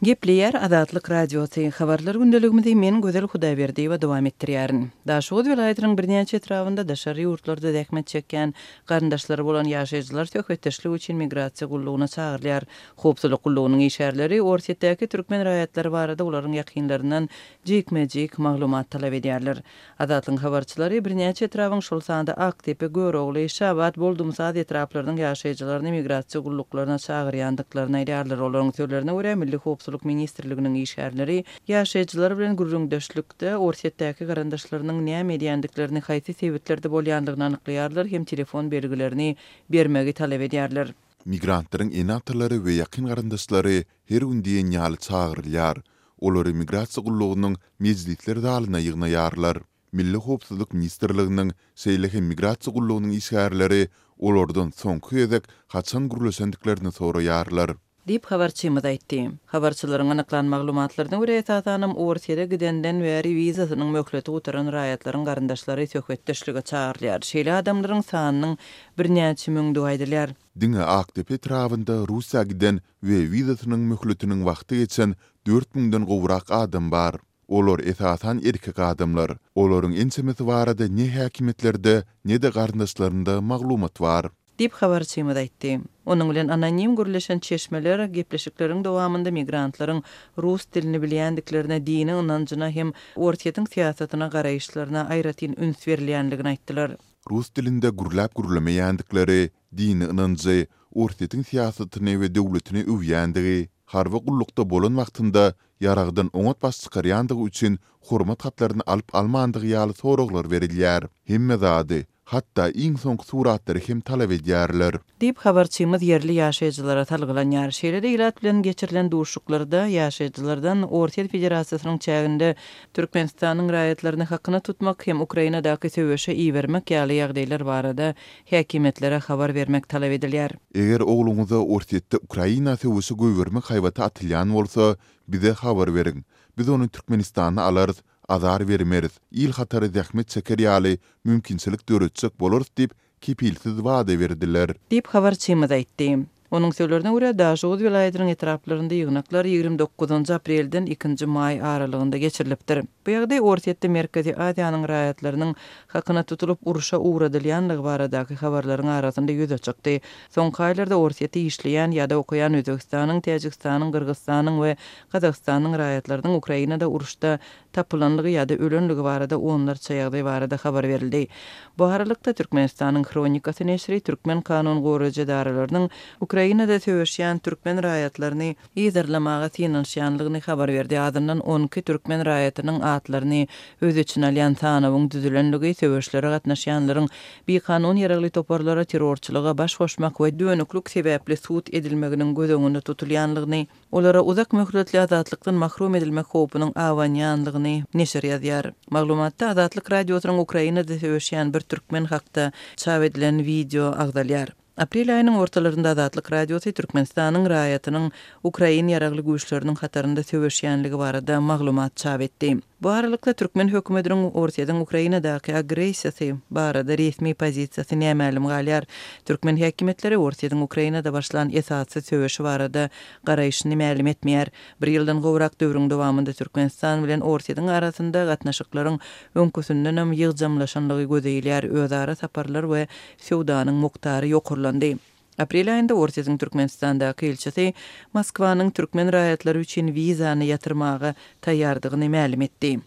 Gepleýär Azatlyk Radiosy, Habarlar gündeligimizi men Gözel Hudaýberdiýewa dowam etdirýärin. Daşoguz welaýatynyň birnäçe etrabynda daşary ýurtlarda zähmet çekýän garyndaşlary bolan ýaşaýjylar söhbetdeşlik üçin migrasiýa gullugyna çagyrylýar. Howpsuzlyk gullugynyň işgärleri Orsýetdäki türkmen raýatlary barada olaryň ýakynlaryndan jikme-jik maglumat talap edýärler. Azatlygyň habarçylary birnäçe etrabyň, şol sanda Akdepe, Görogly, Şabat, Boldumsaz etraplarynyň ýaşaýjylaryny migrasiýa gulluklaryna çagyrýandyklaryny aýdýarlar. Olaryň sözlerine görä, Milli howpsuzlyk ministrliginiň işgärleri ýaşaýjylar bilen gürrüňdeşlikde Orsýetdäki garyndaşlarynyň näme edýändiklerini, haýsy sebitlerde bolýandygyny anyklaýarlar hem telefon belgilerini bermegi talap edýärler. Migrantlaryň ene-atalary we ýakyn garyndaşlary her gün diýen ýaly çagyrylýar. Olary Migrasiýa gullugynyň mejlisler zalyna ýygnaýarlar. Milli howpsuzlyk ministrliginiň, şeýle hem Migrasiýa gullugynyň işgärleri olardan soňky gezek haçan gürleşendiklerini soraýarlar. Diýip, habarçymyz aýtdy. Habarçylaryň anyklan maglumatlaryna görä, esasanam Orsýete gidenden bäri wizasynyň möhleti gutaran raýatlaryň garyndaşlary söhbetdeşlige çagyrylýar. Şeýle adamlaryň sanynyň birnäçe müňdügi aýdylýar. Diňe Akdepe etrabynda Russiýa giden we wizasynyň möhletiniň wagty geçen dört müňden gowrak adam bar. Olar esasan erkek adamlar. Olaryň ençemesi barada ne häkimiýetlerde, ne-de garyndaşlarynda maglumat bar. Diýip, habarçymyz aýtdy. Onuň bilen anonim gürleşen çeşmeler gepleşikleriň dowamynda migrantlaryň rus dilini bilýändiklerine, dini ynanjyna hem Orsýetiň syýasatyna garaýyşlaryna aýratyn üns berilýändigini aýtdylar. Rus dilinde gürläp-gürlemeýändikleri, dini ynanjy, Orsýetiň syýasatyny we döwletini öwýändigi, harby gullukda bolan wagtynda ýaragdan oňat baş çykarýandygy üçin hormat hatlaryny alyp-almandygy ýaly soraglar berilýär. Hemme zady, hatda iň soňky suratlary hem talap edýärler. Diýip, habarçymyz ýerli ýaşaýjylara salgylanýar. Şeýle-de ilat bilen geçirilen duşuşyklarda ýaşaýjylardan Orsýet Federasiýasynyň çäginde Türkmenistanyň raýatlaryny hakyna tutmak hem Ukrainadaky söweşe ibermek ýaly ýagdaýlar barada häkimiýetlere habar bermek talap edilýär. Eger ogluňyza Orsýetde Ukraina söweşe goýbermek haýbaty atylýan bolsa, bize habar beriň. Biz ony Türkmenistana alarys, azar bermeris, il hatary zähmet çeker ýaly mümkinçilik döretjek bolarys diýip, kepilsiz wada berdiler. Diýip, habarçymyz aýtdy. Onuň sözlerine görä, Daşoguz welaýatynyň etraplarynda ýygnaklar 29 aprelden ikinji maý aralygynda geçirilipdir. Bu ýagdaý Orsýetde Merkezi Aziýanyň raýatlarynyň hakyna tutulyp urşa ugradylýanlygy baradaky habarlaryň arasynda ýüze çykdy. Soňky aýlarda Orsýetde işleýän ýa-da okaýan Özbegistanyň, Täjigistanyň, Gyrgyzystanyň we Gazagystanyň raýatlarynyň Ukrainada uruşda tapylanlygy ýa-da ölenligi barada onlarça ýagdaý barada habar berildi. Bu aralykda, Türkmenistanyň Hronikasy neşiri türkmen kanun goraýjy edaralarynyň Ukrainada söweşýän türkmen raýatlaryny yzarlamaga synanyşýanlygyny habar berdi. Azyndan 12 türkmen raýatynyň atlaryny öz içine alýan sanawyň düzülenligi, söweşlere gatnaşýanlaryň bikanun ýaragly toparlara, terrorçylyga baş goşmak we dönüklik sebäpli sud edilmeginiň göz öňünde tutulýanlygyny, Olara uzak möhletli azatlykdan mahrum edilmek howpunyň abanýanlygyny neşir ýazýar. Maglumatda Azatlyk Radiosynyň Ukrainada söweşýän bir türkmen hakda çap edilen wideo agzalýar. Aprel aýynyň ortalarynda Azatlyk Radiosy Türkmenistanyň raýatynyň ukrain ýaragly güýçleriniň hatarynda söweşýänligi barada maglumat çap etdi. Bu aralykda, türkmen hökümetiniň Orsýetiň Ukrainadaky agressiýasy barada resmi pozisiýasy nämälim galýar. Türkmen häkimiýetleri Orsýetiň Ukrainada başlan esassyz söweşi barada garaýşyny mälim etmeýär. Bir ýyldan gowrak döwrüň dowamynda Türkmenistan bilen Orsýetiň arasynda gatnaşyklaryň öňküsindenem ýygjamlaşanlygy göze ilýär, özara saparlar we söwdanyň mukdary ýokarlandy. Aprel aýynda Orsýetiň Türkmenistandaky ilçisi Moskwanyň türkmen raýatlary üçin wizany ýatyrmaga taýýardygyny mälim etdi.